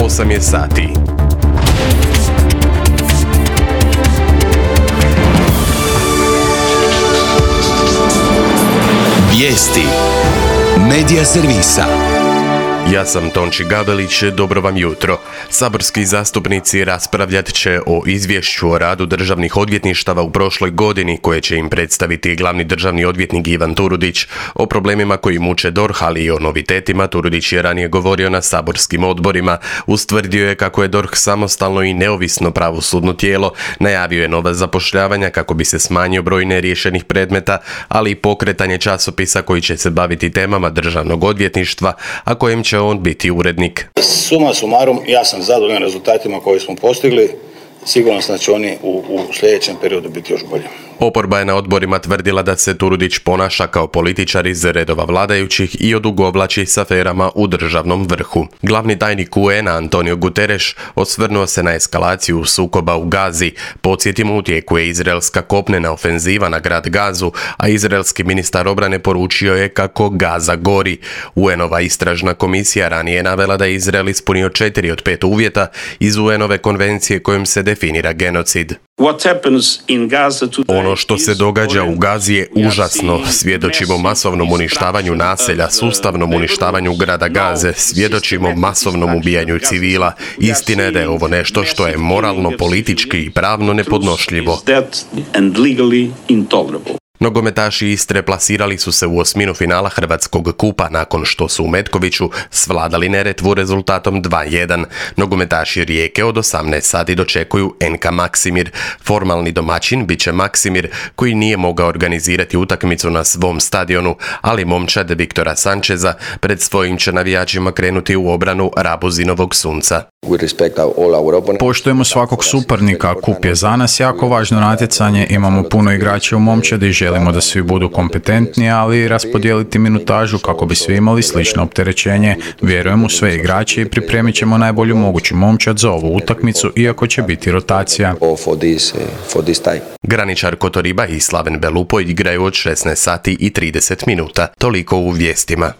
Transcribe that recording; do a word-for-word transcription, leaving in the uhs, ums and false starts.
osam je sati. Vijesti Medija servisa. Ja sam Tonči Gabelić, dobro vam jutro. Saborski zastupnici raspravljat će o izvješću o radu državnih odvjetništava u prošloj godini koje će im predstaviti glavni državni odvjetnik Ivan Turudić. O problemima koji muče D O R H, ali i o novitetima Turudić je ranije govorio na saborskim odborima. Ustvrdio je kako je D O R H samostalno i neovisno pravosudno tijelo, najavio je nova zapošljavanja kako bi se smanjio broj neriješenih predmeta, ali i pokretanje časopisa koji će se baviti temama državnog odvjetništva, a kojem će on biti urednik. Suma sumarum, ja sam zadovoljan rezultatima koje smo postigli. Sigurno sam da će oni u, u sljedećem periodu biti još bolji. Oporba je na odborima tvrdila da se Turudić ponaša kao političar iz redova vladajućih i odugovlači s aferama u državnom vrhu. Glavni tajnik U N a Antonio Guterres osvrnuo se na eskalaciju sukoba u Gazi. Podsjetimo, u tijeku je izraelska kopnena ofenziva na grad Gazu, a izraelski ministar obrane poručio je kako Gaza gori. U N ova istražna komisija ranije je navela da je Izrael ispunio četiri od pet uvjeta iz U N ove konvencije kojom se definira genocid. Ono što se događa u Gazi je užasno. Svjedočimo masovnom uništavanju naselja, sustavnom uništavanju grada Gaze, svjedočimo masovnom ubijanju civila. Istina je da je ovo nešto što je moralno, politički i pravno nepodnošljivo. Nogometaši Istre plasirali su se u osminu finala Hrvatskog kupa nakon što su u Metkoviću svladali Neretvu rezultatom dva jedan. Nogometaši Rijeke od osamnaest sati dočekuju N K Maksimir. Formalni domaćin bit će Maksimir, koji nije mogao organizirati utakmicu na svom stadionu, ali momčad Viktora Sančeza pred svojim će navijačima krenuti u obranu Rabuzinovog Sunca. Poštujemo svakog suparnika, kup je za nas jako važno natjecanje, imamo puno igrača u momčadi i želimo da svi budu kompetentni, ali i raspodijeliti minutažu kako bi svi imali slično opterećenje. Vjerujem u sve igrače i pripremit ćemo najbolju moguću momčad za ovu utakmicu, iako će biti rotacija. Graničar Kotoriba i Slaven Belupo igraju od šesnaest sati i trideset minuta. Toliko u vijestima.